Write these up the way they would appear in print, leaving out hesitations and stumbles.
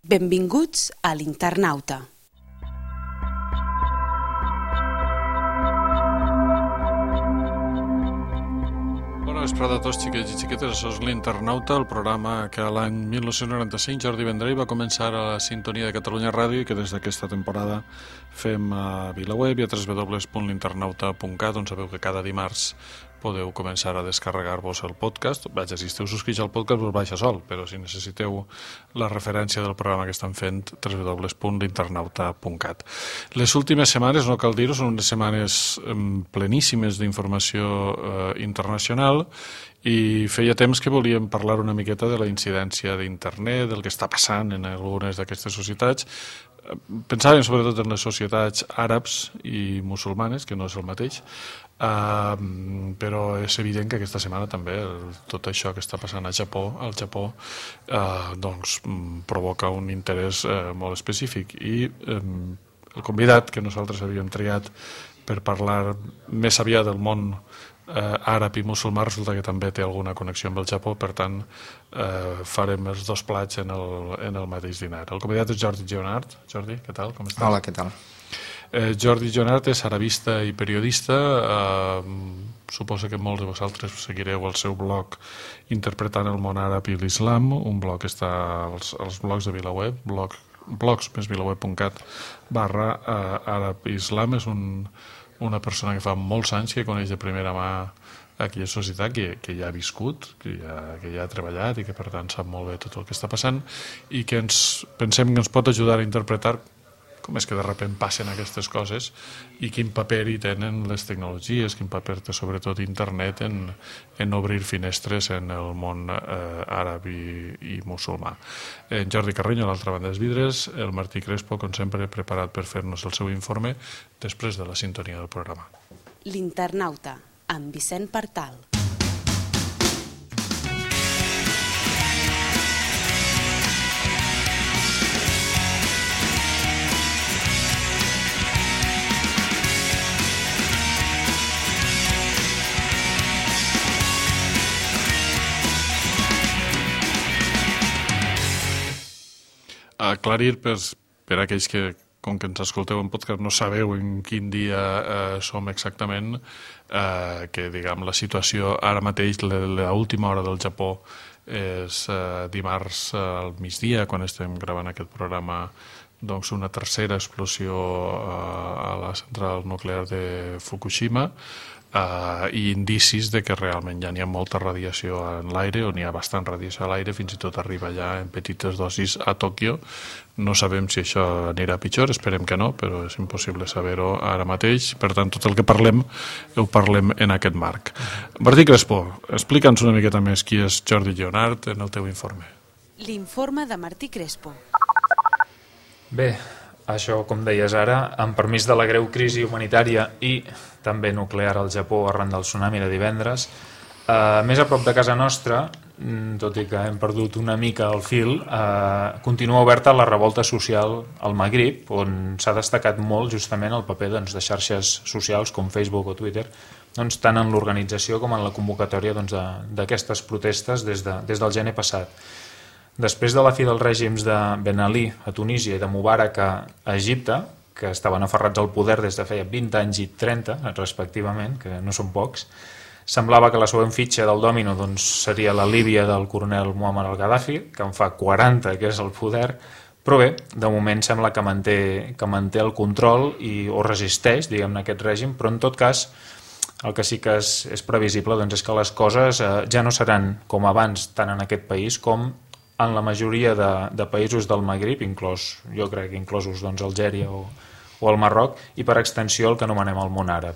Benvinguts a l'Internauta. Bona vesprada a tots, xiquets i xiquetes. Això és l'Internauta, el programa que l'any 1995 Jordi Vendrell va començar a la sintonia de Catalunya Ràdio i que des d'aquesta temporada fem a VilaWeb i a www.l'internauta.cat, on sabeu que cada dimarts podeu començar a descarregar-vos el podcast. Vaja, si esteu subscrits al podcast us baixa sol, però si necessiteu la referència del programa que estan fent, www.l'internauta.cat. Les últimes setmanes, no cal dir-ho, són unes setmanes pleníssimes d'informació internacional i feia temps que volíem parlar una miqueta de la incidència d'internet, del que està passant en algunes d'aquestes societats. Pensàvem sobretot en les societats àrabs i musulmanes, que no és el mateix, però és evident que aquesta setmana també tot això que està passant al Japó doncs provoca un interès molt específic i el convidat que nosaltres havíem triat per parlar més aviat del món àrab i musulmà resulta que també té alguna connexió amb el Japó, per tant farem els dos plats en el mateix dinar. El convidat és Jordi Lleonart. Jordi, què tal? Com estàs? Hola, què tal? Jordi Lleonart és arabista i periodista. Suposo que molts de vosaltres seguireu el seu blog Interpretant el món àrab i l'islam, un blog que està als blogs de VilaWeb, blogs+vilaweb.cat/àrab-islam. És una persona que fa molts anys que coneix de primera mà aquella societat que ja ha viscut, que ja ha treballat i que per tant sap molt bé tot el que està passant i que pensem que ens pot ajudar a interpretar com és que de sobte passen aquestes coses i quin paper hi tenen les tecnologies, quin paper té sobretot internet en obrir finestres en el món àrab i musulmà. En Jordi Carreño, a l'altra banda dels vidres, el Martí Crespo, com sempre, preparat per fer-nos el seu informe després de la sintonia del programa. L'Internauta, amb Vicent Partal. Aclarir per aquells que, com que ens escolteu en podcast, no sabeu en quin dia som exactament, que diguem la situació ara mateix, l'última hora del Japó és dimarts al migdia, quan estem gravant aquest programa, doncs una tercera explosió a la central nuclear de Fukushima, i indicis de que realment ja n'hi ha molta radiació en l'aire, o n'hi ha bastant radiació a l'aire, fins i tot arriba ja en petites dosis a Tòquio. No sabem si això anirà pitjor, esperem que no, però és impossible saber-ho ara mateix. Per tant, tot el que parlem, ho parlem en aquest marc. Martí Crespo, explica'ns una miqueta més qui és Jordi Lleonart en el teu informe. L'informe de Martí Crespo. Bé, això, com deies ara, amb permís de la greu crisi humanitària i també nuclear al Japó arran del tsunami de divendres, més a prop de casa nostra, tot i que hem perdut una mica el fil, continua oberta la revolta social al Magrib, on s'ha destacat molt justament el paper de xarxes socials com Facebook o Twitter, tant en l'organització com en la convocatòria d'aquestes protestes des del gener passat. Després de la fi dels règims de Ben Ali a Tunísia i de Mubarak a Egipte, que estaven aferrats al poder des de feia 20 anys i 30, respectivament, que no són pocs, semblava que la següent fitxa del dòmino seria la Líbia del coronel Muammar al-Gaddafi, que en fa 40 que és al poder, però bé, de moment sembla que manté el control o resisteix, diguem-ne, aquest règim, però en tot cas el que sí que és previsible és que les coses ja no seran com abans, tant en aquest país com en la majoria de països del Magrib, jo crec que inclosos Algèria o el Marroc, i per extensió el que anomenem el món àrab.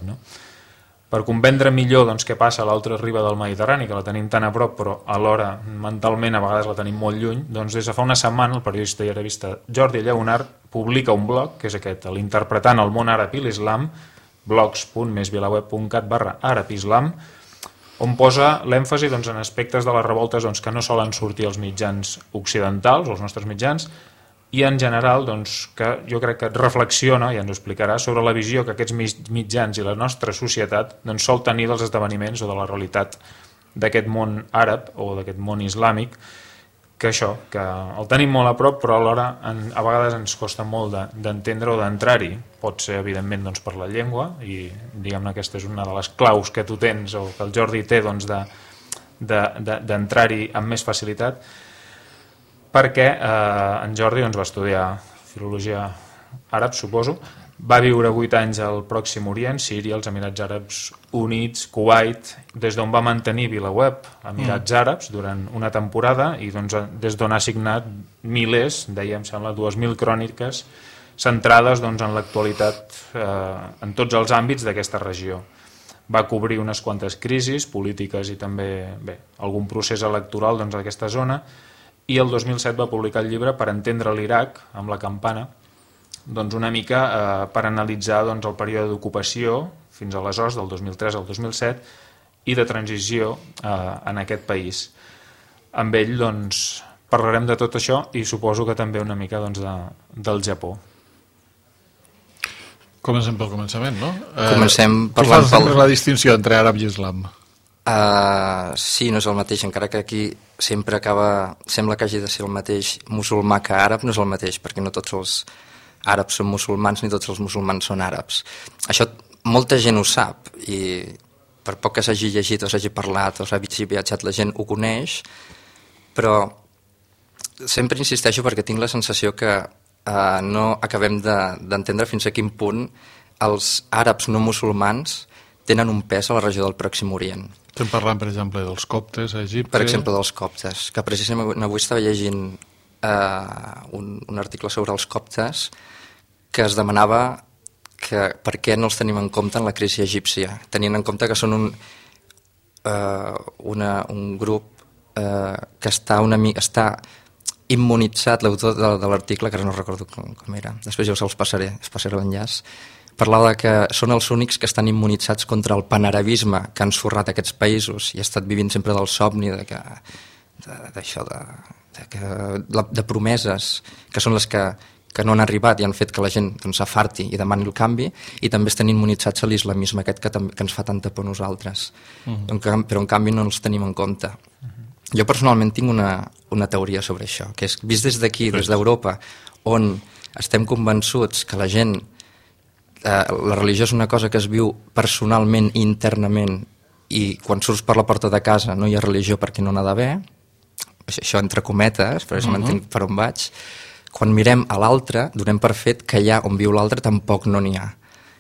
Per comprendre millor què passa a l'altra riba del Mediterrani, que la tenim tan a prop, però alhora mentalment a vegades la tenim molt lluny, des de fa una setmana el periodista i arabista Jordi Lleonart publica un blog, que és aquest, l'Interpretant el món àrab i l'islam, blogs.vilaweb.cat/àrab-islam, on posa l'èmfasi en aspectes de les revoltes que no solen sortir als mitjans occidentals, els nostres mitjans, i en general que jo crec que reflexiona, i ens ho explicarà, sobre la visió que aquests mitjans i la nostra societat sol tenir dels esdeveniments o de la realitat d'aquest món àrab o d'aquest món islàmic, que el tenim molt a prop, però alhora a vegades ens costa molt d'entendre o d'entrar-hi. Pot ser, evidentment, doncs, per la llengua, i diguem-ne aquesta és una de les claus que tu tens o que el Jordi té, doncs, d'entrar-hi amb més facilitat, perquè en Jordi va estudiar filologia àrab, suposo, va viure 8 anys al Pròxim Orient, Síria, els Emirats Àrabs Units, Kuwait, des d'on va mantenir VilaWeb, Emirats Àrabs, durant una temporada, i doncs, des d'on ha signat milers, deia, em sembla, 2.000 cròniques centrades doncs, en l'actualitat en tots els àmbits d'aquesta regió. Va cobrir unes quantes crisis polítiques i també algun procés electoral doncs, d'aquesta zona, i el 2007 va publicar el llibre Per entendre l'Iraq, amb la campana, doncs una mica per analitzar doncs, el període d'ocupació fins aleshores, del 2003 al 2007, i de transició en aquest país. Amb ell doncs, parlarem de tot això i suposo que també una mica doncs, del Japó. Comencem pel començament, no? Comencem parlant per la distinció entre àrab i islam. Sí, no és el mateix, encara que aquí sempre sembla que hagi de ser el mateix musulmà que àrab, no és el mateix, perquè no tots els àrabs són musulmans ni tots els musulmans són àrabs. Això molta gent ho sap i per poc que s'hagi llegit o s'hagi parlat o s'hagi viatjat la gent ho coneix, però sempre insisteixo perquè tinc la sensació que no acabem d'entendre fins a quin punt els àrabs no musulmans tenen un pes a la regió del Pròxim Orient. Estem parlant, per exemple, dels coptes a Egipte. Per exemple, dels coptes, que precisament avui estava llegint un article sobre els coptes que es demanava per què no els tenim en compte en la crisi egípcia, tenint en compte que són un grup que està immunitzat. L'autor de l'article, que ara no recordo com era, després ja us passaré l'enllaç, parlava que són els únics que estan immunitzats contra el panarabisme que han ensorrat aquests països i ha estat vivint sempre del somni de promeses que són les que no han arribat i han fet que la gent s'afarti i demani el canvi, i també estan immunitzats a l'islamisme aquest que ens fa tanta por a nosaltres. Però en canvi no els tenim en compte. Jo personalment tinc una teoria sobre això, que és vist des d'aquí, des d'Europa, on estem convençuts que la gent, la religió és una cosa que es viu personalment i internament, i quan surts per la porta de casa no hi ha religió perquè no n'ha d'haver, això entre cometes, però m'entenc per on vaig. Quan mirem a l'altre, donem per fet que allà on viu l'altre tampoc no n'hi ha.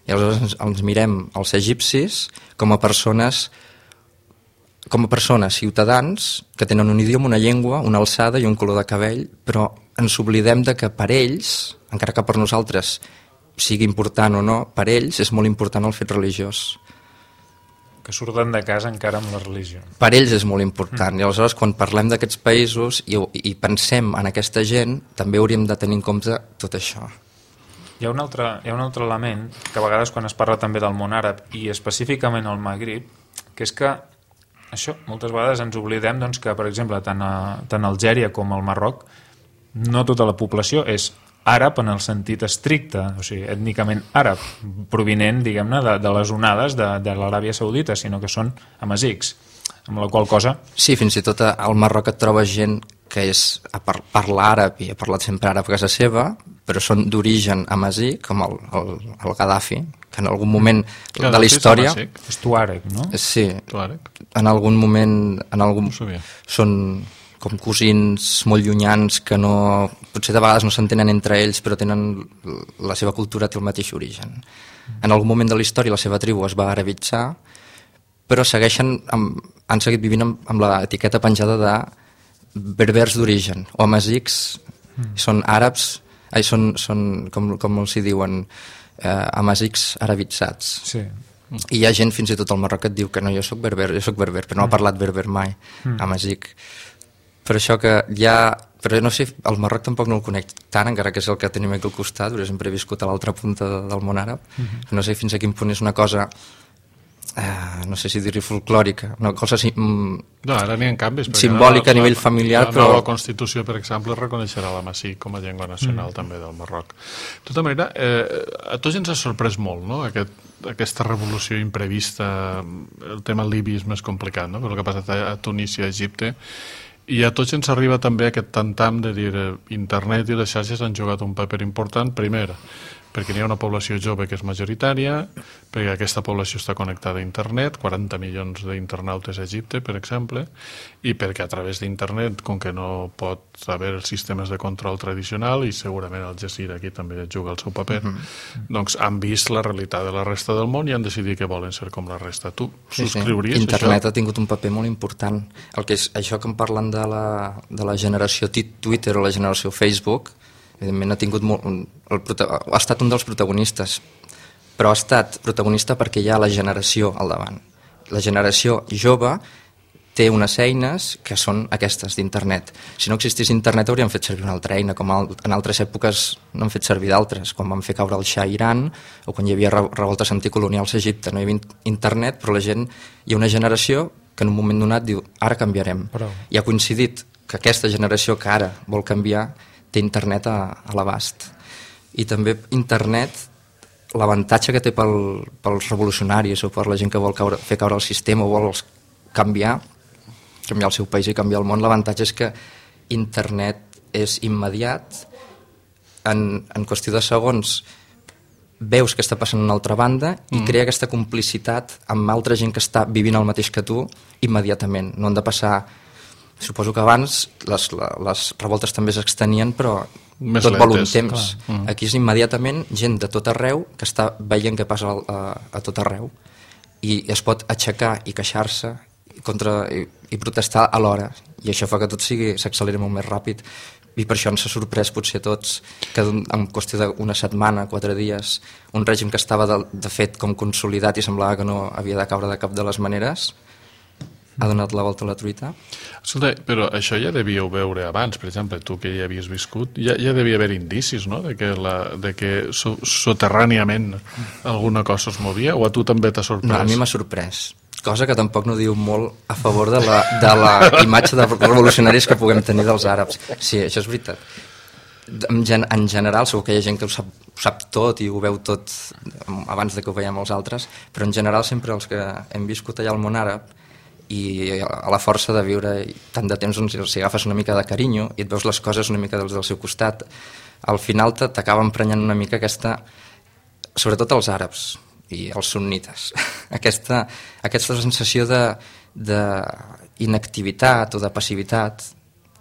I aleshores ens mirem els egipcis com a persones, ciutadans, que tenen un idioma, una llengua, una alçada i un color de cabell, però ens oblidem de que per ells, encara que per nosaltres sigui important o no, per ells és molt important el fet religiós. Que surten de casa encara amb la religió. Per ells és molt important, i aleshores quan parlem d'aquests països i pensem en aquesta gent, també hauríem de tenir en compte tot això. Hi ha un altre element, que a vegades quan es parla també del món àrab, i específicament al Magrib, que és que això, moltes vegades ens oblidem doncs, que, per exemple, tant Algèria com el Marroc, no tota la població és àrab en el sentit estricte, o sigui, ètnicament àrab, provinent, diguem-ne, de les onades de l'Aràbia Saudita, sinó que són amazics, amb la qual cosa... Sí, fins i tot al Marroc et trobes gent que parla àrab i ha parlat sempre àrab a casa seva, però són d'origen amazigh, com el Gaddafi, que en algun moment de la història... És tuàreg, no? Sí, en algun moment són com cosins molt llunyans que no, potser de vegades no s'entenen entre ells, però tenen la seva cultura, té el mateix origen. En algun moment de la història la seva tribu es va arabitzar, però han seguit vivint amb l'etiqueta penjada de berbers d'origen, o amazics, són àrabs, són com els hi diuen, amazics arabitzats. Sí. I hi ha gent fins i tot al Marroc que et diu que no, jo soc berber, però no ha parlat berber mai, amazic. Per això que però no sé, el Marroc tampoc no el conec tant, encara que és el que tenim aquí al costat, perquè sempre he viscut a l'altra punta del món àrab. No sé fins a quin punt és una cosa, no sé si dir-hi folclòrica, una cosa no, ara n'hi ha canvis, simbòlica a nivell familiar, però... La nova Constitució, per exemple, reconeixerà l'amazic com a llengua nacional també del Marroc. De tota manera, a tots ens ha sorprès molt, no?, aquesta revolució imprevista. El tema libi és més complicat, no?, però el que ha passat a Tunísia, a Egipte, I a tots ens arriba també aquest tantam de dir internet i les xarxes han jugat un paper important, primer, perquè hi ha una població jove que és majoritària, perquè aquesta població està connectada a internet, 40 milions d'internautes a Egipte, per exemple, i perquè a través d'internet, com que no pot haver els sistemes de control tradicional, i segurament Al Jazeera aquí també juga el seu paper, doncs han vist la realitat de la resta del món i han decidit que volen ser com la resta. Tu subscriuries Internet això? ha tingut un paper molt important. El que és això que em parlen de la generació Twitter o la generació Facebook, evidentment ha tingut ha estat un dels protagonistes, però ha estat protagonista perquè hi ha la generació al davant. La generació jove té unes eines que són aquestes d'internet. Si no existís internet hauríem fet servir una altra eina, com en altres èpoques no han fet servir d'altres, quan van fer caure el Shah a Iran o quan hi havia revoltes anticolonials a Egipte. No hi havia internet, però la gent, hi ha una generació que en un moment donat diu ara canviarem. I ha coincidit que aquesta generació que ara vol canviar té internet a l'abast. I també internet, l'avantatge que té pels revolucionaris o per la gent que vol fer caure el sistema o vol canviar el seu país i canviar el món, l'avantatge és que internet és immediat, en qüestió de segons veus que està passant a una altra banda i crea aquesta complicitat amb altra gent que està vivint el mateix que tu immediatament. No han de passar... Suposo que abans les revoltes també s'extenien, però més tot vol un lentes, temps. Aquí és immediatament gent de tot arreu que està veient què passa a tot arreu i es pot aixecar i queixar-se i protestar alhora, i això fa que tot s'acceleri molt més ràpid, i per això ens ha sorprès potser a tots que en qüestió d'una setmana, 4 dies, un règim que estava de fet com consolidat i semblava que no havia de caure de cap de les maneres ha donat la volta a la truita. Escolta, però això ja devíeu veure abans, per exemple, tu que ja havies viscut, ja devia haver indicis, no?, de que soterràniament alguna cosa es movia, o a tu també t'ha sorprès? No, a mi m'ha sorprès, cosa que tampoc no diu molt a favor de la imatge de revolucionaris que puguem tenir dels àrabs. Sí, això és veritat. En general, segur que hi ha gent que ho sap tot i ho veu tot abans de que ho veiem els altres, però en general sempre els que hem viscut allà al món àrab i a la força de viure tant de temps, doncs, si agafes una mica de carinyo i et veus les coses una mica del seu costat, al final t'acaba emprenyant una mica aquesta, sobretot els àrabs i els sunnites, aquesta sensació d'inactivitat o de passivitat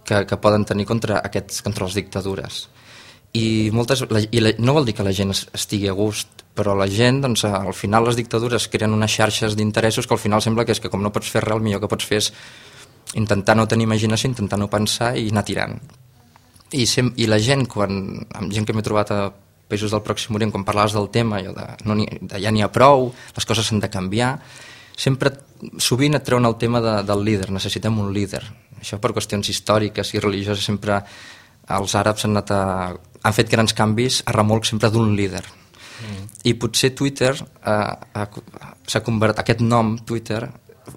que poden tenir contra les dictadures. I no vol dir que la gent estigui a gust, però la gent, doncs, al final les dictadures creen unes xarxes d'interessos que al final sembla que és que com no pots fer res, el millor que pots fer és intentar no tenir imaginació, intentar no pensar i anar tirant. I la gent, amb gent que m'he trobat a països del Pròxim Orient, quan parlaves del tema, ja n'hi ha prou, les coses s'han de canviar, sovint et treuen el tema del líder, necessitem un líder. Això per qüestions històriques i religioses sempre els àrabs han fet grans canvis a remolc sempre d'un líder. I potser Twitter s'ha convertit, aquest nom Twitter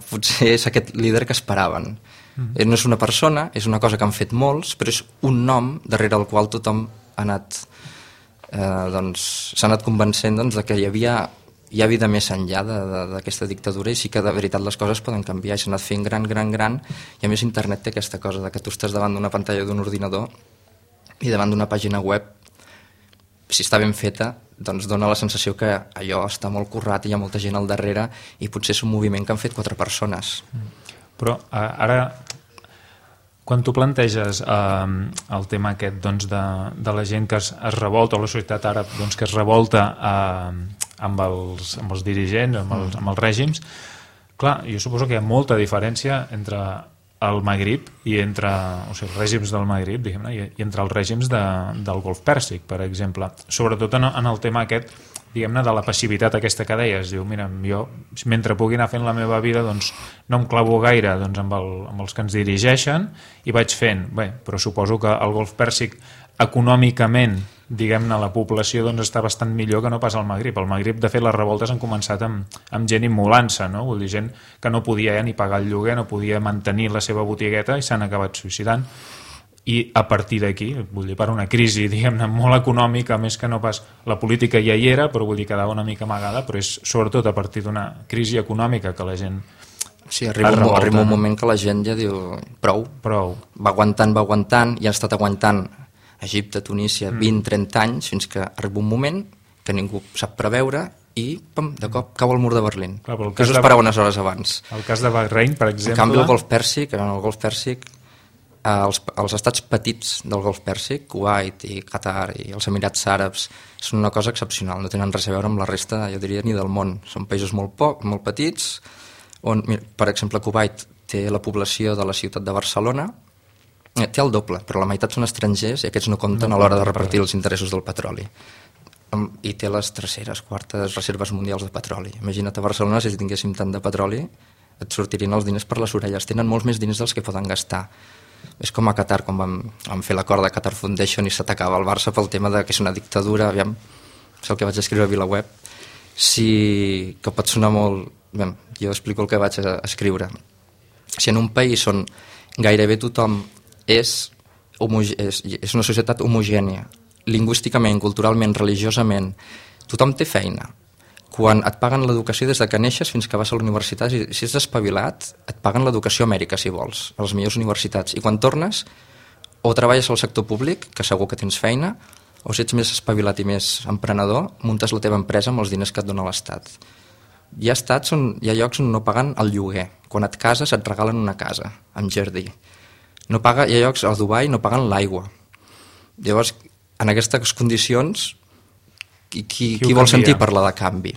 potser és aquest líder que esperaven. No és una persona, és una cosa que han fet molts, però és un nom darrere el qual tothom s'ha anat convencent de que hi ha vida més enllà d'aquesta dictadura i sí que de veritat les coses poden canviar i s'ha anat fent gran, i a més internet té aquesta cosa de que tu estàs davant d'una pantalla d'un ordinador i davant d'una pàgina web, si està ben feta, doncs dona la sensació que allò està molt currat i hi ha molta gent al darrere i potser és un moviment que han fet 4 persones. Però ara, quan tu planteges el tema aquest de la gent que es revolta, o la societat àrab que es revolta amb els dirigents, amb els règims, clar, jo suposo que hi ha molta diferència entre el Magrib i entre els règims del Magrib, diguem-ne, i entre els règims del Golf Pèrsic, per exemple. Sobretot en el tema aquest, diguem-ne, de la passivitat aquesta que deies. Diu, mira, jo, mentre pugui anar fent la meva vida, doncs no em clavo gaire amb els que ens dirigeixen i vaig fent. Bé, però suposo que el Golf Pèrsic econòmicament, diguem-ne, la població està bastant millor que no pas al Magrib. Al Magrib, de fet, les revoltes han començat amb gent immolant-se, no? Vull dir, gent que no podia ni pagar el lloguer, no podia mantenir la seva botigueta i s'han acabat suïcidant. I a partir d'aquí, vull dir, per una crisi, diguem-ne, molt econòmica, més que no pas la política ja hi era, però vull dir, quedava una mica amagada, però és sobretot a partir d'una crisi econòmica que la gent Sí, arriba un moment que la gent ja diu prou. Va aguantant i ha estat aguantant Egipte, Tunísia, 20-30 anys, fins que arriba un moment que ningú sap preveure i pam, de cop cau el mur de Berlín. Que us esperava unes hores abans. El cas de Bahrein, per exemple... En canvi, el Golf Pèrsic, els estats petits del Golf Pèrsic, Kuwait i Qatar i els Emirats Àrabs, són una cosa excepcional, no tenen res a veure amb la resta, jo diria, ni del món. Són països molt petits, on, per exemple, Kuwait té la població de la ciutat de Barcelona, té el doble, però la meitat són estrangers i aquests no compten a l'hora de repartir els interessos del petroli. I té les terceres, quartes reserves mundials de petroli. Imagina't a Barcelona, si tinguéssim tant de petroli, et sortirien els diners per les orelles. Tenen molts més diners dels que poden gastar. És com a Qatar, quan vam fer l'acord de Qatar Foundation i s'atacava el Barça pel tema de que és una dictadura, aviam, és el que vaig escriure a VilaWeb, que pot sonar molt... Bé, jo explico el que vaig escriure. Si en un país on gairebé tothom és una societat homogènia, lingüísticament, culturalment, religiosament, tothom té feina. Quan et paguen l'educació des de que neixes fins que vas a la universitat, si ets espavilat, et paguen l'educació a Amèrica, si vols, a les millors universitats. I quan tornes, o treballes al sector públic, que segur que tens feina, o si ets més espavilat i més emprenedor, muntes la teva empresa amb els diners que et dona l'Estat. Hi ha llocs on no paguen el lloguer. Quan et cases et regalen una casa, amb jardí. Hi ha llocs a Dubai no paguen l'aigua. Llavors, en aquestes condicions, qui vol sentir parlar de canvi?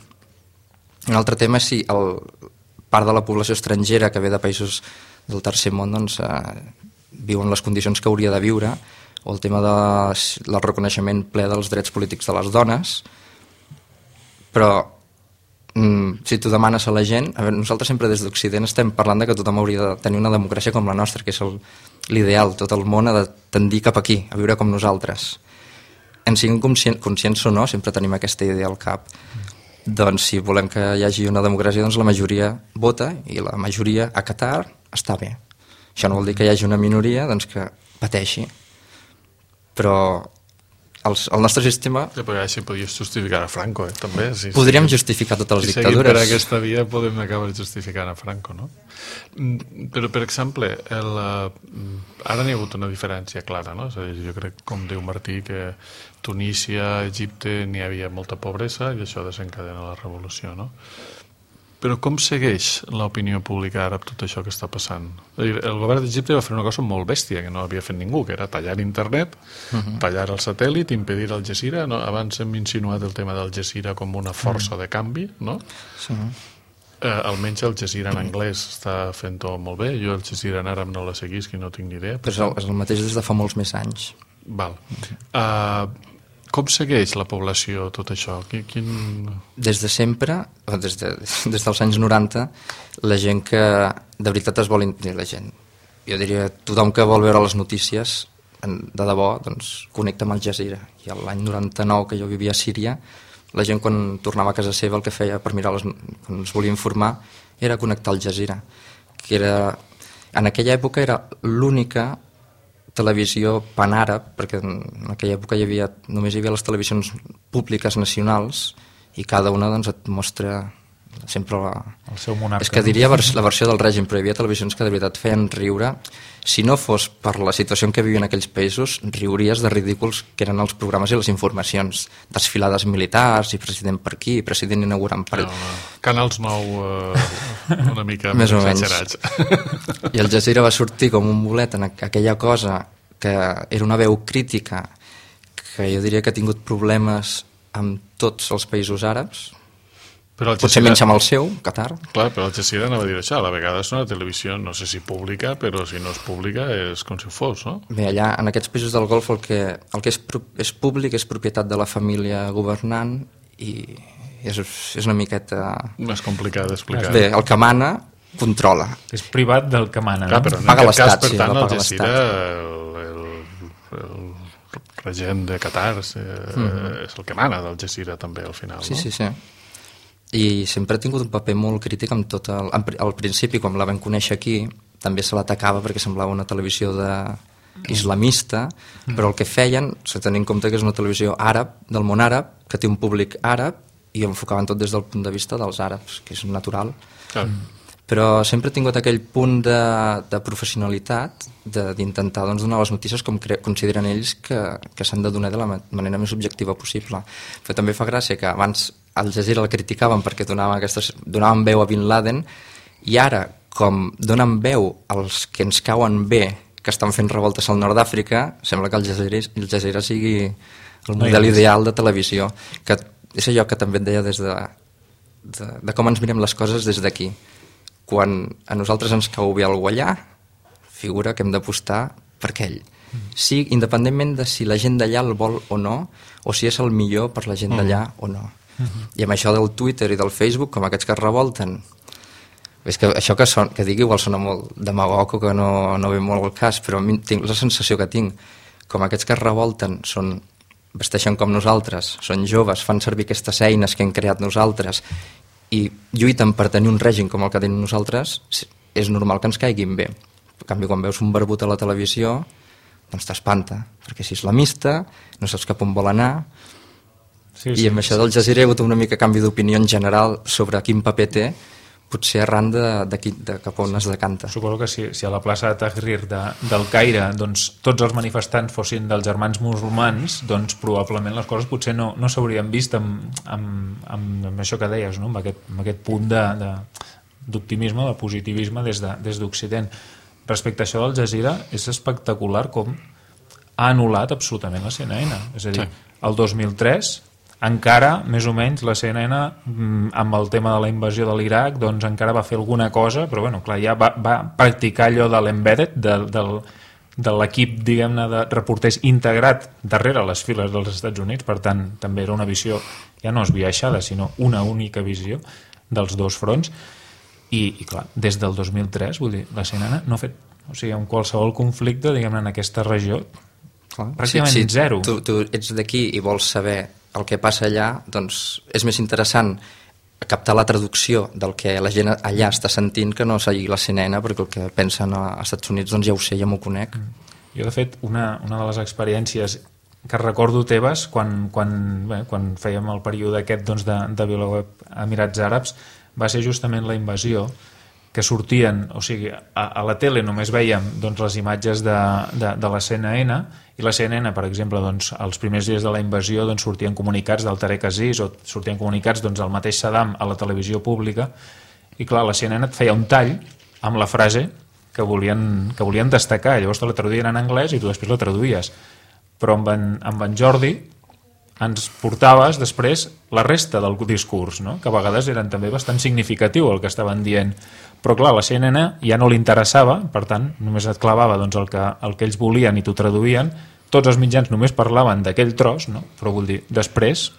Un altre tema és si part de la població estrangera que ve de països del tercer món viu en les condicions que hauria de viure, o el tema del reconeixement ple dels drets polítics de les dones. Però si tu demanes a la gent, nosaltres sempre des d'Occident estem parlant de que tothom hauria de tenir una democràcia com la nostra, que és l'ideal, tot el món ha de tendir cap aquí, a viure com nosaltres. En siguin conscients o no, sempre tenim aquesta idea al cap. Doncs si volem que hi hagi una democràcia, doncs la majoria vota i la majoria a Qatar està bé. Això no vol dir que hi hagi una minoria que pateixi. Però el nostre sistema... Però així podies justificar a Franco, també. Podríem justificar totes les dictadures. Si seguim per aquesta via podem acabar justificant a Franco, no? Però, per exemple, ara n'hi ha hagut una diferència clara, no? És a dir, jo crec, com diu Martí, que Tunísia, Egipte, n'hi havia molta pobresa i això desencadena la revolució, no? Però com segueix l'opinió pública àrab tot això que està passant? El govern d'Egipte va fer una cosa molt bèstia que no havia fet ningú, que era tallar internet, tallar el satèl·lit, impedir el Jazeera. Abans hem insinuat el tema del Jazeera com una força de canvi, no? Sí. Almenys el Jazeera en anglès està fent-ho molt bé. Jo el Jazeera en àrab no la seguisc i no tinc ni idea. Però és el mateix des de fa molts més anys. Val. Com segueix la població tot això? Des de sempre, des dels anys 90, la gent que de veritat es vol... La gent, jo diria, tothom que vol veure les notícies, de debò, doncs connecta amb el Jazeera. I l'any 99, que jo vivia a Síria, la gent quan tornava a casa seva el que feia per mirar, quan es volia informar, era connectar al Jazeera. En aquella època era l'única televisió panàrab, perquè en aquella època només hi havia les televisions públiques nacionals i cada una et mostra sempre el seu monarca. És que diria la versió del règim, però hi havia televisions que de veritat feien riure. Si no fos per la situació en què vivien aquells països, riuries de ridículs que eren els programes i les informacions. Desfilades militars, i president per aquí, president inaugurant per... Canals 9 una mica més exagerats. I el Jazeera va sortir com un bolet en aquella cosa que era una veu crítica que jo diria que ha tingut problemes amb tots els països àrabs, potser menys amb el seu, Qatar. Clar, però el Jazeera anava a dir això, a la vegada és una televisió, no sé si pública, però si no és pública és com si fos, no? Bé, allà, en aquests països del Golf, el que és públic és propietat de la família governant i és una miqueta... Més complicat d'explicar. Bé, el que mana controla. És privat del que mana, clar, però en paga aquest cas, per sí, tant, el Jazeera, el regent de Qatar és el que mana del Jazeera també, al final, no? Sí. I sempre ha tingut un paper molt crític amb tot al principi, quan la vam conèixer aquí, també se l'atacava perquè semblava una televisió islamista, però el que feien, s'ha de tenir en compte que és una televisió àrab, del món àrab, que té un públic àrab, i enfocaven tot des del punt de vista dels àrabs, que és natural. però sempre he tingut aquell punt de professionalitat d'intentar doncs, donar les notícies com consideren ells que s'han de donar de la manera més objectiva possible. Però també fa gràcia que abans Al Jazeera la criticaven perquè donaven veu a Bin Laden, i ara, com donen veu als que ens cauen bé, que estan fent revoltes al nord d'Àfrica, sembla que el Jazeera sigui el model ideal de televisió, que és allò que també et deia des de com ens mirem les coses des d'aquí. Quan a nosaltres ens cau bé algú allà, figura que hem d'apostar per aquell. Sí, independentment de si la gent d'allà el vol o no, o si és el millor per la gent d'allà o no. I amb això del Twitter i del Facebook, com aquests que es revolten, és que això que digui igual sona molt demagog o que no ve molt al cas, però tinc la sensació que tinc, com aquests que es revolten vesteixen com nosaltres, són joves, fan servir aquestes eines que hem creat nosaltres i lluiten per tenir un règim com el que tenim nosaltres, és normal que ens caiguin bé. En canvi, quan veus un barbut a la televisió, doncs t'espanta, perquè és islamista, no saps cap on vol anar, i amb això del Jazeera hi ha hagut una mica canvi d'opinió en general sobre quin paper té, potser arran de cap on es decanta. Suposo que si a la plaça de Tahrir del Caire doncs, tots els manifestants fossin dels germans musulmans, doncs probablement les coses potser no s'haurien vist amb això que deies, no? amb aquest punt d'optimisme, de positivisme des d'Occident. Respecte a això del Jazeera, és espectacular com ha anul·lat absolutament la CNN. És a dir, el 2003 encara, més o menys, la CNN amb el tema de la invasió de l'Iraq doncs encara va fer alguna cosa, però bueno, clar, ja va practicar allò de l'embedded, de l'equip, diguem-ne, de reporters integrat darrere les files dels Estats Units, per tant, també era una visió, ja no esbiaixada, sinó una única visió dels dos fronts, i clar, des del 2003, vull dir, la CNN no ha fet, o sigui, en qualsevol conflicte, diguem-ne, en aquesta regió, pràcticament zero. Tu ets d'aquí i vols saber el que passa allà, doncs és més interessant captar la traducció del que la gent allà està sentint que no seguir la CNN, perquè el que pensen als Estats Units doncs ja ho sé, ja m'ho conec. Jo, de fet, una de les experiències que recordo teves quan fèiem el període aquest doncs, de VilaWeb Emirats Àrabs va ser justament la invasió, que sortien, o sigui, a la tele només veiem doncs, les imatges de la CNN, i la CNN, per exemple, doncs, els primers dies de la invasió doncs, sortien comunicats del Tarek Aziz o sortien comunicats doncs, del mateix Saddam a la televisió pública, i clar, la CNN et feia un tall amb la frase que volien destacar, llavors te la traduïen en anglès i tu després la traduïes, però amb en Jordi ens portaves després la resta del discurs, no? Que a vegades eren també bastant significatiu el que estaven dient, però clar, la CNN ja no li interessava, per tant, només et clavava doncs, el que ells volien i t'ho traduïen, tots els mitjans només parlaven d'aquell tros, no? Però vull dir, després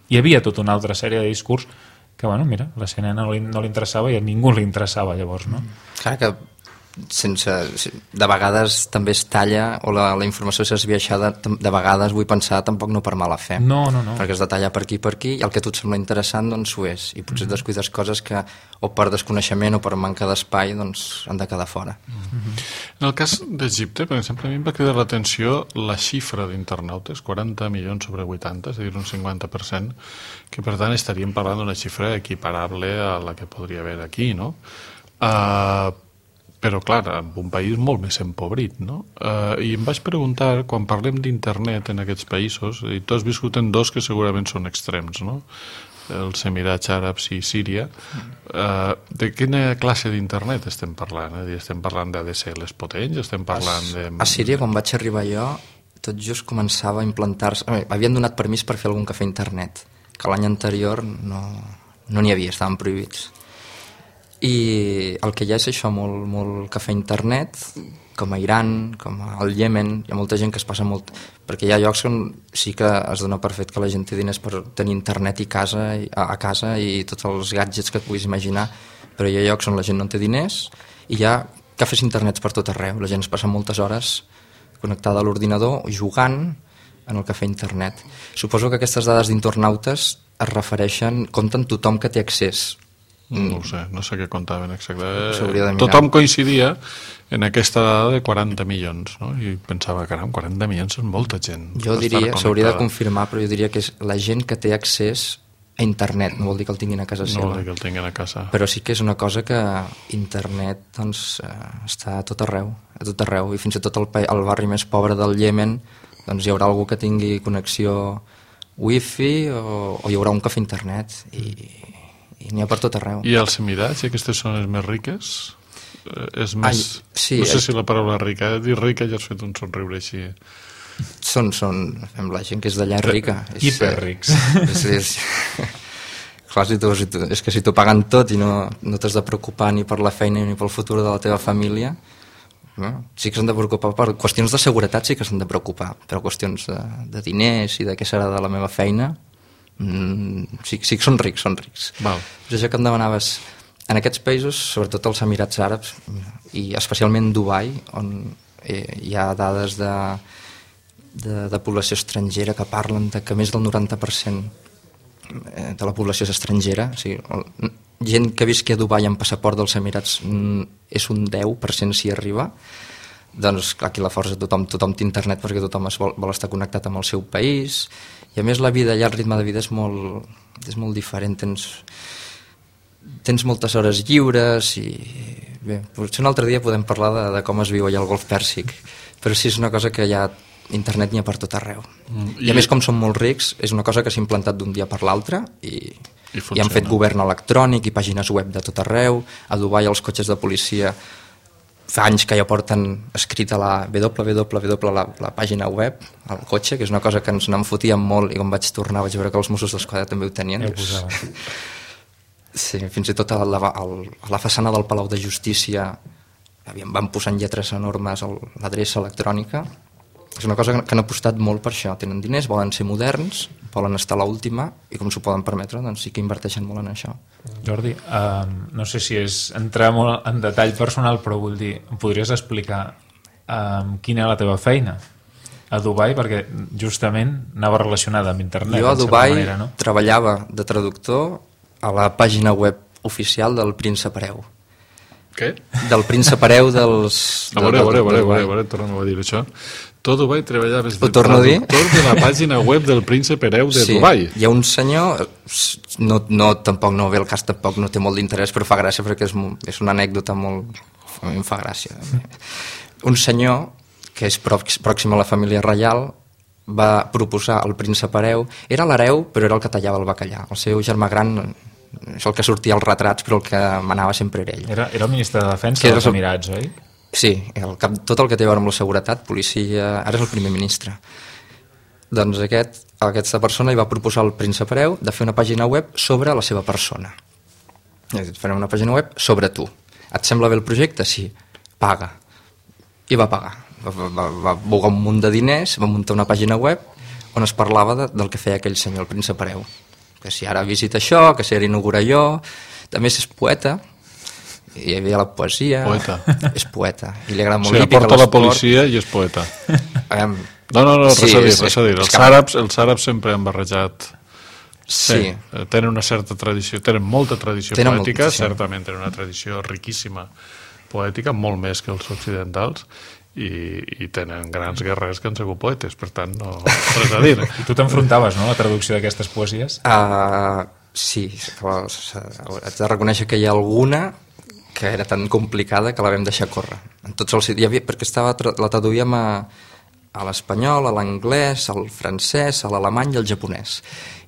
hi havia tota una altra sèrie de discurs que, bueno, mira, la CNN no li interessava i a ningú li interessava llavors, no? Clar que de vegades també es talla o la informació és esbiaixada, de vegades vull pensar tampoc no per mala fe, no. perquè es detalla per aquí i el que a tu et sembla interessant doncs ho és, i potser descuides coses que o per desconeixement o per manca d'espai doncs han de quedar fora. En el cas d'Egipte, per exemple, a mi em va cridar l'atenció la xifra d'internautes, 40 milions sobre 80, és a dir, un 50%, que per tant estaríem parlant d'una xifra equiparable a la que podria haver aquí, no? Però, clar, en un país molt més empobrit, no? I em vaig preguntar, quan parlem d'internet en aquests països, i tu has viscut en dos que segurament són extrems, no? Els Emirats Àrabs i Síria, de quina classe d'internet estem parlant? Estem parlant d'ADSLs potents? Estem parlant de... A Síria, quan vaig arribar jo, tot just començava a implantar-se... Havien donat permís per fer algun cafè a internet, que l'any anterior no n'hi havia, estaven prohibits. I el que hi ha és això, molt cafè a internet, com a Iran, com al Iemen, hi ha molta gent que es passa molt... Perquè hi ha llocs on sí que es dona per fet que la gent té diners per tenir internet a casa i tots els gadgets que et puguis imaginar, però hi ha llocs on la gent no té diners i hi ha cafès internets per tot arreu. La gent es passa moltes hores connectada a l'ordinador jugant en el cafè internet. Suposo que aquestes dades d'internautes es refereixen, compten tothom que té accés. No ho sé, no sé què comptaven exactament. Tothom coincidia en aquesta dada de 40 milions, no? I pensava, caram, 40 milions són molta gent. Jo diria, s'hauria de confirmar, però jo diria que és la gent que té accés a internet, no vol dir que el tinguin a casa seva. No vol dir que el tinguin a casa. Però sí que és una cosa que internet doncs, està a tot arreu, i fins i tot al barri més pobre del Iemen doncs, hi haurà algú que tingui connexió wifi o hi haurà un cafè internet i n'hi ha per tot arreu. I els Emirats, i aquestes zones més riques? És més... sí, no sé si la paraula rica, dir rica ja has fet un somriure així. Són la gent que és d'allà rica. Hiperrics. Clar, és que si t'ho paguen tot i no t'has de preocupar ni per la feina ni pel futur de la teva família, no? Sí que s'han de preocupar per qüestions de seguretat, sí que s'han de preocupar, però qüestions de diners i de què serà de la meva feina, sí que són rics. Val. És això que em demanaves. En aquests països, sobretot els Emirats Àrabs i especialment Dubai, on hi ha dades de població estrangera que parlen de que més del 90% de la població és estrangera, o sigui, gent que visqui a Dubai amb passaport dels Emirats és un 10% si arriba. Doncs clar, aquí la força tothom té internet perquè tothom vol estar connectat amb el seu país, i a més la vida allà, el ritme de vida és molt diferent, tens moltes hores lliures i bé, potser un altre dia podem parlar de com es viu allà al Golf Pèrsic, però sí és una cosa que ja internet n'hi ha per tot arreu. I a més, com són molt rics, és una cosa que s'ha implantat d'un dia per l'altre i han fet govern electrònic i pàgines web de tot arreu. A Dubai els cotxes de policia fa anys que ja porten escrita la www, la pàgina web al cotxe, que és una cosa que ens n'enfotíem molt, i quan vaig tornar vaig veure que els Mossos d'Esquadra també ho tenien. Sí, fins i tot a la façana del Palau de Justícia van posant lletres enormes l'adreça electrònica. És una cosa que han apostat molt per això. Tenen diners, volen ser moderns, volen estar a l'última, i com s'ho poden permetre, doncs sí que inverteixen molt en això. Jordi, no sé si és entrar molt en detall personal, però vull dir, em podries explicar quina és la teva feina a Dubai, perquè justament anava relacionada amb internet. Jo a Dubai treballava de traductor a la pàgina web oficial del Príncep Hereu. Què? Del Príncep Hereu dels... A veure, tornem a dir això. Tu a Dubai treballaves de traductor de la pàgina web del Príncep Hereu de Dubai. Hi ha un senyor, tampoc no ve el cas, tampoc no té molt d'interès, però fa gràcia perquè és una anècdota molt... A mi em fa gràcia. Un senyor que és pròxim a la família reial va proposar al Príncep Hereu, era l'hereu però era el que tallava el bacallà. El seu germà gran és el que sortia als retrats, però el que manava sempre era ell. Era el ministre de Defensa dels Emirats, oi? Sí, tot el que té a veure amb la seguretat, policia, ara és el primer ministre. Doncs aquesta persona li va proposar al Príncep Hereu de fer una pàgina web sobre la seva persona. Farem una pàgina web sobre tu. Et sembla bé el projecte? Sí. Paga. I va pagar. Va bogar un munt de diners, va muntar una pàgina web on es parlava del que feia aquell senyor, el Príncep Hereu. Que si ara visita això, que si ara inaugura allò. També és poeta, i hi havia la poesia. Poeta. És poeta. I li agrada molt l'hípica, l'esport. Porta la policia i és poeta. No, res a dir. Els àrabs sempre han barrejat. Sí. Tenen una certa tradició, tenen molta tradició poètica, certament tenen una tradició riquíssima poètica, molt més que els occidentals, i tenen grans guerrers que han sigut poetes, per tant, no res a dir. I tu t'enfrontaves, no?, a la traducció d'aquestes poesies? Sí, haig de reconèixer que hi ha alguna que era tan complicada que la vam deixar córrer. En tots els idiomes, perquè la traduïem a l'espanyol, a l'anglès, al francès, a l'alemany i al japonès.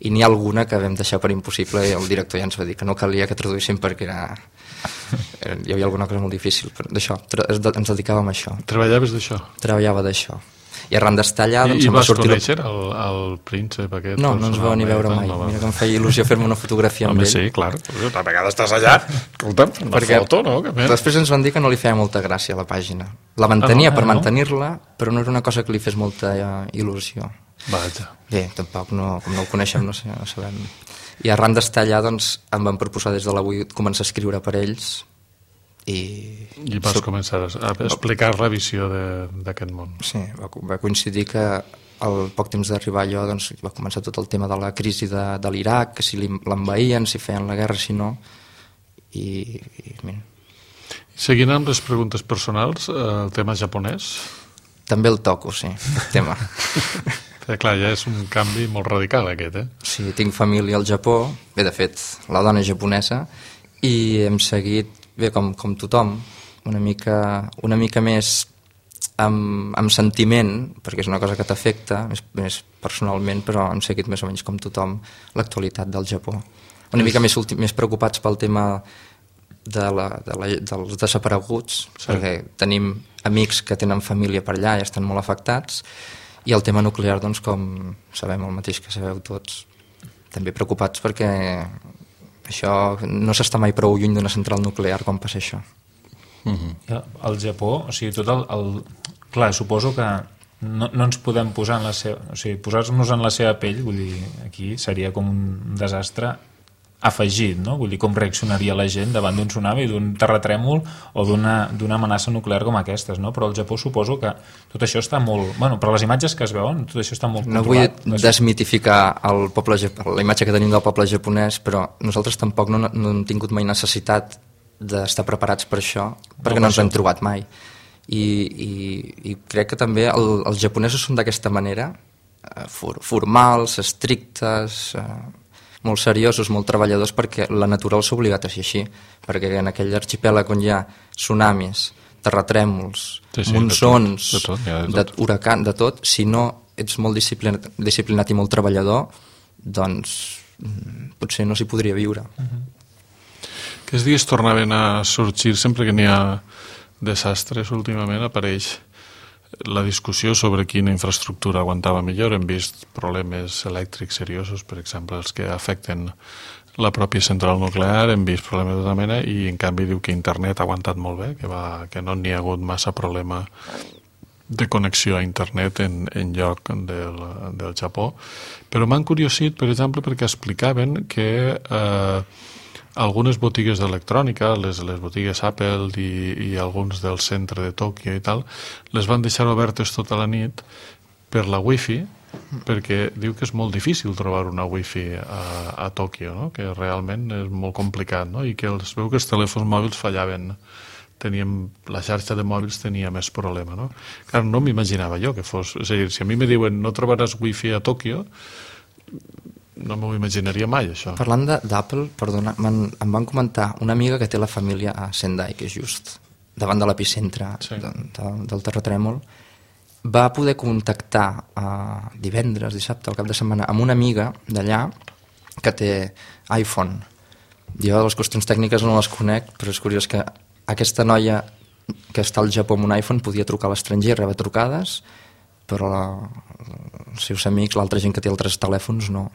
I n'hi ha alguna que vam deixar per impossible i el director ja ens va dir que no calia que traduïssin perquè hi havia alguna cosa molt difícil. Però d'això, ens dedicàvem a això. Treballaves d'això? Treballava d'això. I arran d'estar allà... I vas conèixer el príncep aquest? No ens vau ni veure mai. Mira que em feia il·lusió fer-me una fotografia amb ell. Sí, clar. Una vegada estàs allà, escolta'm, una foto, no? Després ens van dir que no li feia molta gràcia a la pàgina. La mantenia per mantenir-la, però no era una cosa que li fes molta il·lusió. Vaja. Bé, tampoc, com no ho coneixem, no sabem. I arran d'estar allà, doncs, em van proposar des de l'avui començar a escriure per ells. I vas començar a explicar la visió d'aquest món. Sí, va coincidir que al poc temps d'arribar allò doncs, va començar tot el tema de la crisi de l'Iraq, que si l'envaïen, si feien la guerra, si no. Seguint amb les preguntes personals, el tema japonès? També el toco, sí, el tema. Clar, ja és un canvi molt radical aquest, Sí, Sí, tinc família al Japó, bé, de fet, la dona és japonesa, i hem seguit, bé, com tothom, una mica més amb sentiment, perquè és una cosa que t'afecta, més personalment, però hem seguit més o menys com tothom l'actualitat del Japó. Una mica més preocupats pel tema dels desapareguts, perquè tenim amics que tenen família per allà i estan molt afectats, i el tema nuclear, doncs, com sabem el mateix que sabeu tots, també preocupats perquè això no s'està mai prou lluny d'una central nuclear quan passa això. Al Japó, o sigui, clar, suposo que no ens podem posar en la seva... O sigui, posar-nos en la seva pell, vull dir, aquí seria com un desastre afegit, no? Vull dir, com reaccionaria la gent davant d'un tsunami, d'un terratrèmol o d'una amenaça nuclear com aquestes, no? Però al Japó suposo que tot això està molt... Bueno, però les imatges que es veuen, tot això està molt controlat. No vull desmitificar la imatge que tenim del poble japonès, però nosaltres tampoc no hem tingut mai necessitat d'estar preparats per això, perquè no ens hem trobat mai. I crec que també els japonesos són d'aquesta manera, formals, estrictes, molt seriosos, molt treballadors, perquè la natura els ha obligat a ser així, perquè en aquell arxipèlag on hi ha tsunamis, terratrèmols, monsons, huracans, de tot, si no ets molt disciplinat i molt treballador, doncs potser no s'hi podria viure. Aquests dies tornaven a sorgir, sempre que n'hi ha desastres, últimament apareix la discussió sobre quina infraestructura aguantava millor. Hem vist problemes elèctrics seriosos, per exemple, els que afecten la pròpia central nuclear, hem vist problemes de tota mena, i en canvi diu que internet ha aguantat molt bé, que no n'hi ha hagut massa problema de connexió a internet en lloc del Japó. Però m'han curiosit, per exemple, perquè explicaven que algunes botigues d'electrònica, les botigues Apple i alguns del centre de Tòquio i tal, les van deixar obertes tota la nit per la wifi, perquè diu que és molt difícil trobar una wifi a Tòquio, no? Que realment és molt complicat, no? I que es veu que els telèfons mòbils fallaven, la xarxa de mòbils tenia més problema, no? Clar, no m'imaginava jo que fos... És a dir, si a mi me diuen no trobaràs wifi a Tòquio, no m'ho imaginaria mai, això. Parlant d'Apple, perdona, em van comentar una amiga que té la família a Sendai, que és just davant de l'epicentre del terratrèmol, va poder contactar divendres, dissabte, al cap de setmana, amb una amiga d'allà que té iPhone. Jo les qüestions tècniques no les conec, però és curiós que aquesta noia que està al Japó amb un iPhone podia trucar a l'estranger, rebre trucades, però els seus amics, l'altra gent que té altres telèfons, no.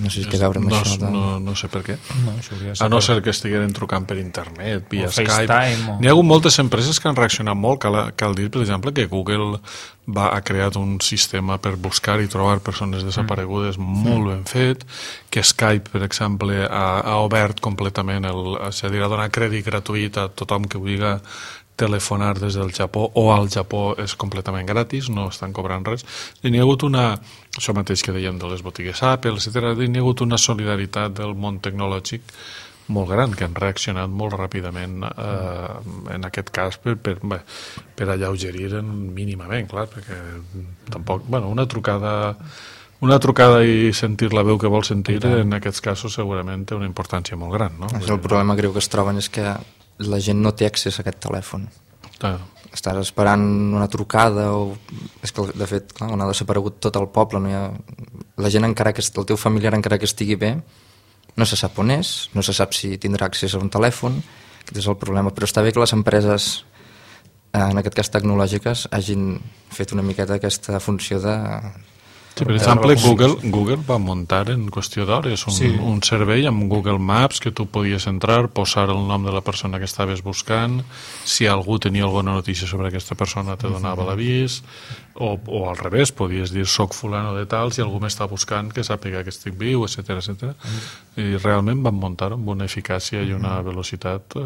No sé si té a veure amb això. No sé per què. A no ser que estigueren trucant per internet, via Skype. N'hi ha hagut moltes empreses que han reaccionat molt. Cal dir, per exemple, que Google ha creat un sistema per buscar i trobar persones desaparegudes molt ben fet, que Skype, per exemple, ha obert completament és a dir, ha donat crèdit gratuït a tothom que vulgui telefonar des del Japó o al Japó és completament gratis, no estan cobrant res. I n'hi ha hagut això mateix que dèiem de les botigues Apple, etc. N'hi ha hagut una solidaritat del món tecnològic molt gran, que han reaccionat molt ràpidament en aquest cas per alleugerir mínimament, clar, perquè tampoc... una trucada i sentir la veu que vol sentir, en aquests casos segurament té una importància molt gran, no? El problema greu que es troben és que la gent no té accés a aquest telèfon. Estàs esperant una trucada és que, de fet, clar, on ha desaparegut tot el poble, no hi ha... La gent, encara que el teu familiar, encara que estigui bé, no se sap on és, no se sap si tindrà accés a un telèfon. Aquest és el problema. Però està bé que les empreses, en aquest cas tecnològiques, hagin fet una miqueta aquesta funció de... Sí, per exemple, Google va muntar en qüestió d'hores un servei amb Google Maps que tu podies entrar, posar el nom de la persona que estaves buscant, si algú tenia alguna notícia sobre aquesta persona te donava l'avís, o al revés, podies dir soc fulano de tal, si algú m'està buscant que sàpiga que estic viu, etc. I realment van muntar amb una eficàcia i una velocitat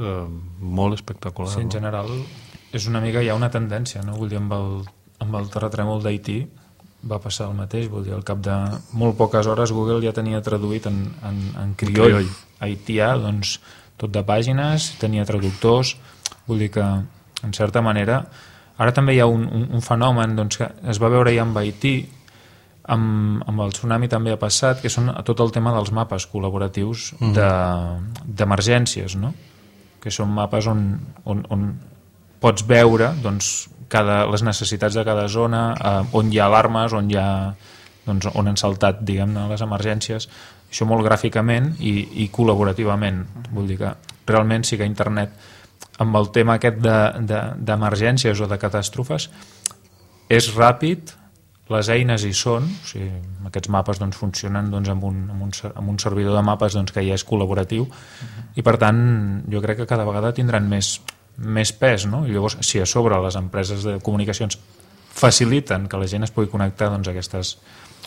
molt espectacular. Sí, en general és una mica, hi ha una tendència, no? Vull dir, amb el terratrèmol d'Haití va passar el mateix, vull dir, al cap de molt poques hores Google ja tenia traduït en crioll haitià, doncs tot de pàgines, tenia traductors, vull dir que en certa manera ara també hi ha un fenomen doncs, que es va veure ja amb Haití, amb el tsunami també ha passat, que són tot el tema dels mapes col·laboratius d'emergències, no? Que són mapes on pots veure doncs, les necessitats de cada zona, on hi ha alarmes, on han saltat, diguem-ne, les emergències, això molt gràficament i col·laborativament. Vull dir que realment sí que internet, amb el tema aquest d'emergències o de catàstrofes, és ràpid, les eines hi són, o sigui, aquests mapes doncs, funcionen doncs, amb un servidor de mapes doncs, que ja és col·laboratiu, i per tant jo crec que cada vegada tindran més pes, no? I llavors, si a sobre les empreses de comunicacions faciliten que la gent es pugui connectar doncs,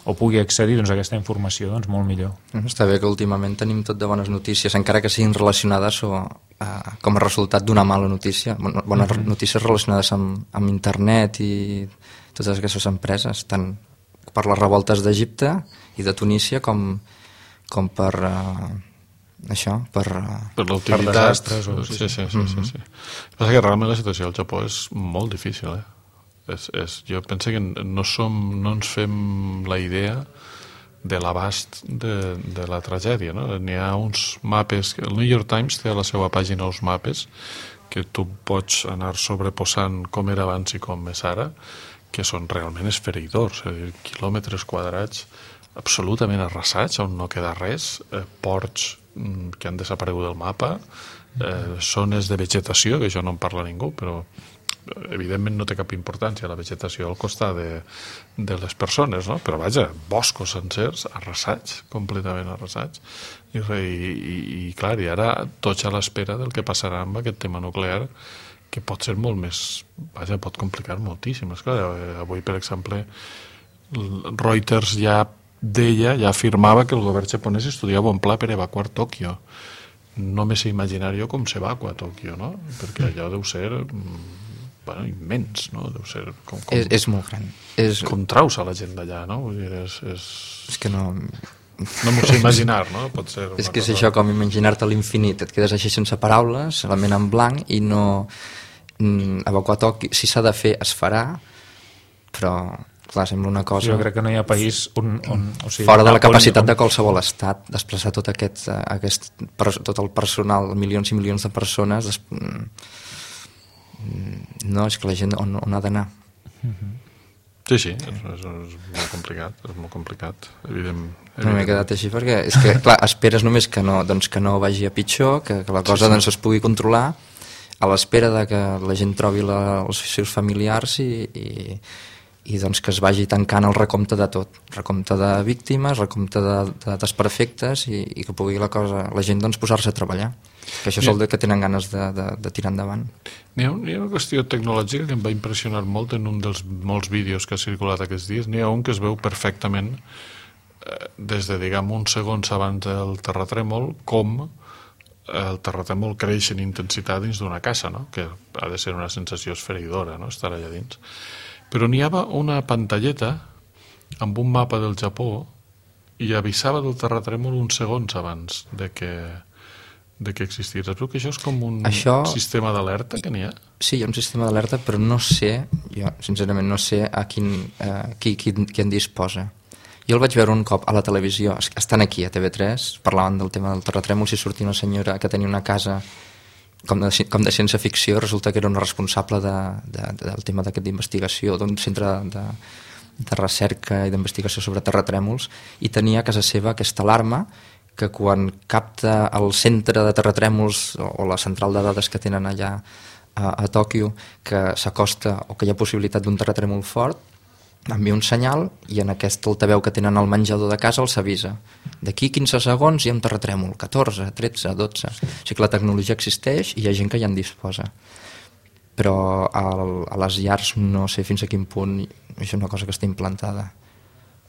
o pugui accedir doncs, a aquesta informació, doncs molt millor. Està bé que últimament tenim tot de bones notícies, encara que siguin relacionades com a resultat d'una mala notícia, bones notícies relacionades amb internet i totes aquestes empreses, tant per les revoltes d'Egipte i de Tunísia com per això, per l'utilitat. Sí. Passa que realment la situació al Japó és molt difícil, jo penso que no ens fem la idea de l'abast de la tragèdia, no? N'hi ha uns mapes, el New York Times té a la seva pàgina uns mapes que tu pots anar sobreposant com era abans i com és ara, que són realment esfereïdors, és a dir, quilòmetres quadrats absolutament arrasats, on no queda res, ports que han desaparegut del mapa, zones de vegetació, que això no en parla ningú, però evidentment no té cap importància la vegetació al costat de les persones, no? Però vaja, boscos sencers arrasats, completament arrasats, i clar, i ara tots a l'espera del que passarà amb aquest tema nuclear, que pot ser molt més, vaja, pot complicar moltíssim. Esclar, avui, per exemple, Reuters ja afirmava que el govern japonès estudiava un pla per evacuar Tòquio. No me sé imaginar jo com s'evacua Tòquio, no? Perquè allò deu ser immens, no? Deu ser és molt gran. Com traus a la gent d'allà, no? Vull dir, és que no m'ho sé imaginar, no? Pot ser és que és això, com imaginar-te l'infinit, et quedes així sense paraules, la ment en blanc, i no evacuar Tòquio, si s'ha de fer es farà, però clar, sembla una cosa... Jo crec que no hi ha país on o sigui, fora de la capacitat de qualsevol estat desplaçar tot tot el personal, milions i milions de persones no, és que la gent on ha d'anar. Sí, és molt complicat, evident. No m'he quedat així perquè és que, clar, esperes només que no vagi a pitjor, que la cosa doncs, es pugui controlar, a l'espera de que la gent trobi els seus familiars i doncs que es vagi tancant el recompte de tot, recompte de víctimes, recompte de desperfectes i que pugui la gent doncs, posar-se a treballar, que això és el que tenen ganes de tirar endavant. N'hi ha una qüestió tecnològica que em va impressionar molt en un dels molts vídeos que ha circulat aquests dies. N'hi ha un que es veu perfectament des de, diguem, uns segons abans del terratrèmol, com el terratrèmol creix en intensitat dins d'una casa, no? Que ha de ser una sensació esfereïdora, no? Estar allà dins. Però n'hi havia una pantalleta amb un mapa del Japó i avisava del terratrèmol uns segons abans de que existís. Espero que això és com un sistema d'alerta que n'hi ha? Sí, hi ha un sistema d'alerta, però no sé, jo sincerament no sé qui en disposa. Jo el vaig veure un cop a la televisió, estan aquí a TV3, parlaven del tema del terratrèmol, si sortia una senyora que tenia una casa com de ciència-ficció, resulta que era una responsable del tema d'investigació, d'un centre de recerca i d'investigació sobre terratrèmols, i tenia a casa seva aquesta alarma que quan capta el centre de terratrèmols o la central de dades que tenen allà a Tòquio, que s'acosta o que hi ha possibilitat d'un terratrèmol fort, envia un senyal i en aquest altaveu que tenen al menjador de casa els avisa. D'aquí 15 segons hi ha un terratrèmol, 14, 13, 12... O sigui que la tecnologia existeix i hi ha gent que ja en disposa. Però a les llars no sé fins a quin punt és una cosa que està implantada.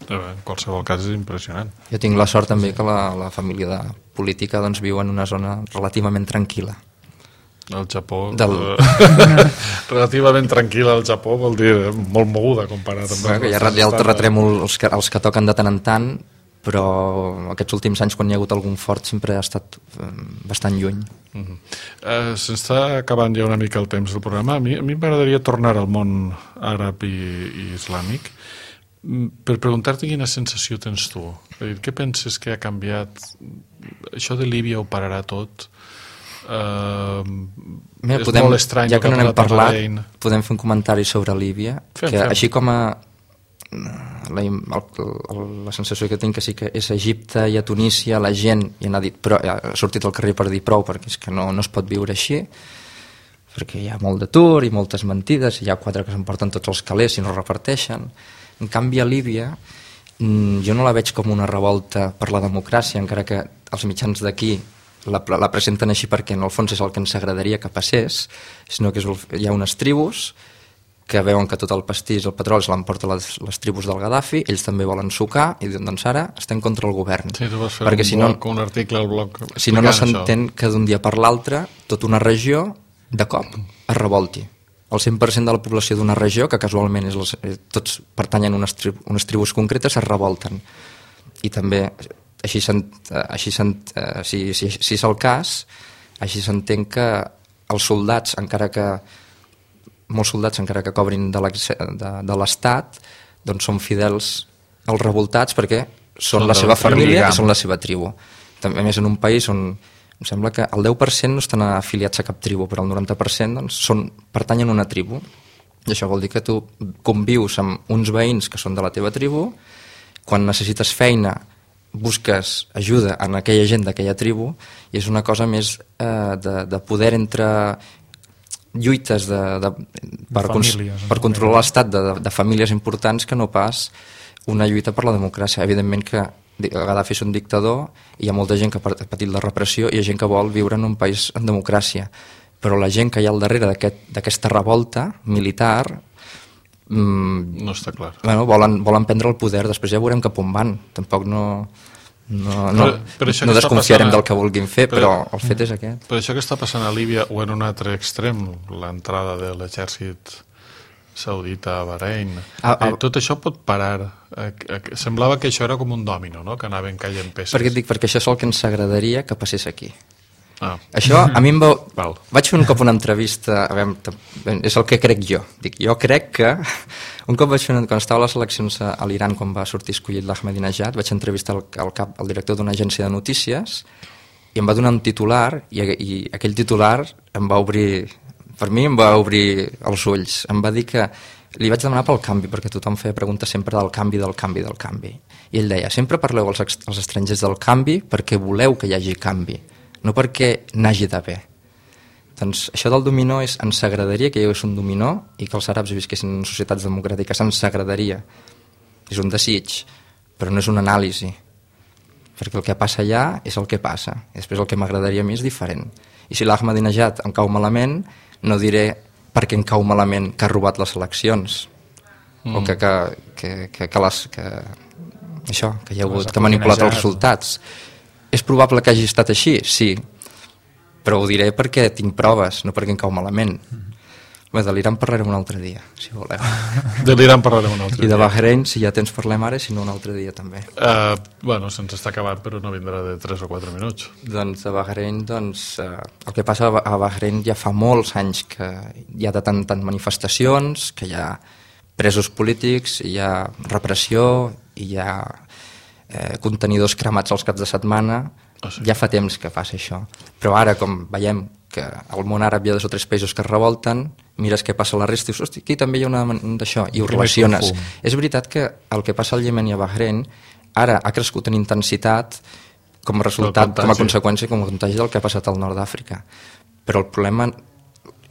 En qualsevol cas és impressionant. Jo tinc la sort també que la família política doncs, viu en una zona relativament tranquil·la. El Japó relativament tranquil·la al Japó vol dir molt moguda comparat amb hi ha el terratrèmol els que toquen de tant en tant, però aquests últims anys quan hi ha hagut algun fort sempre ha estat bastant lluny. S'està acabant ja una mica el temps del programa. A mi m'agradaria tornar al món àrab i islàmic, Per preguntar-te quina sensació tens tu. Què penses que ha canviat? Això de Líbia ho pararà tot? Mira, És molt estrany. ja que no n'hem parlat, podem fer un comentari sobre Líbia, que així com a la sensació que tinc que sí que és a Egipte i a Tunísia la gent ja n'ha dit, però ha sortit al carrer per dir prou, perquè és que no es pot viure així, perquè hi ha molt d'atur i moltes mentides, hi ha 4 que s'emporten tots els calés i no reparteixen. En canvi a Líbia jo no la veig com una revolta per la democràcia, encara que els mitjans d'aquí la presenten així perquè en el fons és el que ens agradaria que passés, sinó que hi ha unes tribus que veuen que tot el pastís, el petroli se l'emporta les tribus del Gaddafi, ells també volen sucar i diuen, doncs ara estem contra el govern. Sí, tu vas fer perquè un article al blog si no s'entén que d'un dia per l'altre tota una regió de cop es revolti. El 100% de la població d'una regió, que casualment tots pertanyen a unes tribus concretes, es revolten. I també, si és el cas, així s'entén que els soldats, molts soldats, encara que cobrin de l'Estat, doncs són fidels als revoltats perquè són la seva família i són la seva tribu. També, a més, en un país on em sembla que el 10% no estan afiliats a cap tribu, però el 90% doncs, pertanyen a una tribu. I això vol dir que tu convius amb uns veïns que són de la teva tribu, quan necessites feina busques ajuda en aquella gent d'aquella tribu, i és una cosa més de poder entre lluites per controlar l'estat de famílies importants que no pas una lluita per la democràcia. Evidentment que Gaddafi és un dictador i hi ha molta gent que ha patit la repressió i hi ha gent que vol viure en un país en democràcia, però la gent que hi ha al darrere d'aquesta revolta militar no està clar. Bueno, volen prendre el poder, després ja veurem cap on van. Tampoc no desconfiarem del que vulguin fer, però el fet és aquest. Però això que està passant a Líbia o en un altre extrem, l'entrada de l'exèrcit saudita a Bahrein, tot això pot parar. Semblava que això era com un dòmino, no? Que anaven caient peces. Perquè això és el que ens agradaria que passés aquí. Això a mi vaig fer un cop una entrevista, és el que crec jo. Jo crec que un cop quan estava a les eleccions a l'Iran, quan va sortir escollit l'Ahmadinejad, vaig entrevistar el director d'una agència de notícies i em va donar un titular i aquell titular per mi em va obrir els ulls. Em va dir que li vaig demanar pel canvi, perquè tothom feia preguntes sempre del canvi. I ell deia, sempre parleu als estrangers del canvi perquè voleu que hi hagi canvi, no perquè n'hagi d'haver. Doncs això del dominó ens agradaria que hi hagués un dominó i que els àrabs visquessin en societats democràtiques, ens agradaria. És un desig, però no és una anàlisi, perquè el que passa allà és el que passa. I després el que m'agradaria a mi és diferent. I si l'Ahmadinejad em cau malament, no diré perquè em cau malament que ha robat les eleccions o que hi ha hagut, que ha manipulat els resultats. És probable que hagi estat així? Sí, però ho diré perquè tinc proves, no perquè em cau malament. Bé, de l'Iran parlarem un altre dia, si voleu. De l'Iran parlarem un altre dia. I de Bahrein, si ja tens, parlem ara, si no un altre dia també. Bueno, se'ns està acabant, però no vindrà de 3 o 4 minuts. Doncs a Bahrein, el que passa a Bahrein ja fa molts anys que hi ha de tant manifestacions, que hi ha presos polítics, hi ha repressió, hi ha contenidors cremats als caps de setmana. Ja fa temps que passa això. Però ara, com veiem que al món àrab hi ha 2 o 3 països que es revolten, mires què passa a la resta i dius, hosti, aquí també hi ha una d'això, i ho relaciones. És veritat que el que passa al Iemen i a Bahrein ara ha crescut en intensitat com a resultat, com a conseqüència, com a contagi del que ha passat al nord d'Àfrica. Però el problema,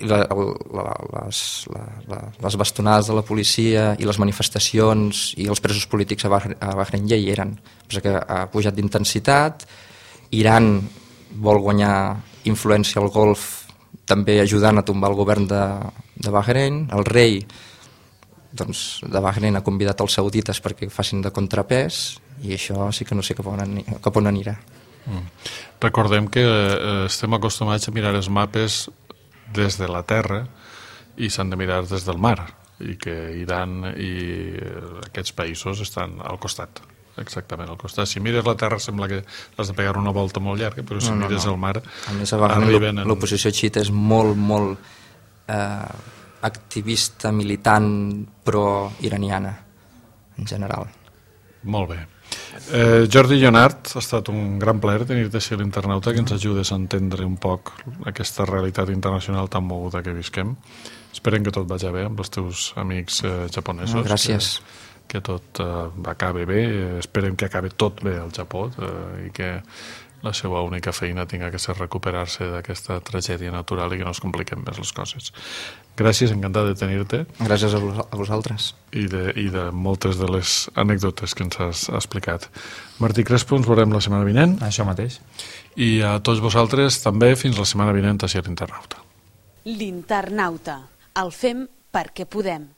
les bastonades de la policia i les manifestacions i els presos polítics a Bahrein ja hi eren. Però que ha pujat d'intensitat, Iran vol guanyar influència al Golf també ajudant a tombar el govern de Bahrein. El rei de Bahrein ha convidat els saudites perquè facin de contrapès i això sí que no sé cap on anirà. Recordem que estem acostumats a mirar els mapes des de la terra i s'han de mirar des del mar i que Iran i aquests països estan al costat. Exactament, al costat. Si mires la terra sembla que has de pegar una volta molt llarga, però si mires el mar... A més, a Bahrein l'oposició xiita és molt activista, militant, pro-iraniana. en general. Molt bé. Jordi Llonart, ha estat un gran plaer tenir-te així a l'Internauta, que ens ajudes a entendre un poc aquesta realitat internacional tan moguda que visquem. Esperem que tot vagi bé amb els teus amics japonesos. Gràcies. Que tot acabi bé. Esperem que acabi tot bé al Japó i que la seva única feina tinga que ser recuperar-se d'aquesta tragèdia natural i que no es compliquen més les coses. Gràcies, encantat de tenir-te. Gràcies a vosaltres. I de moltes de les anècdotes que ens has explicat. Martí Crespo, ens veurem la setmana vinent. Això mateix. I a tots vosaltres també fins la setmana vinent a l'Internauta. L'Internauta. El fem perquè podem.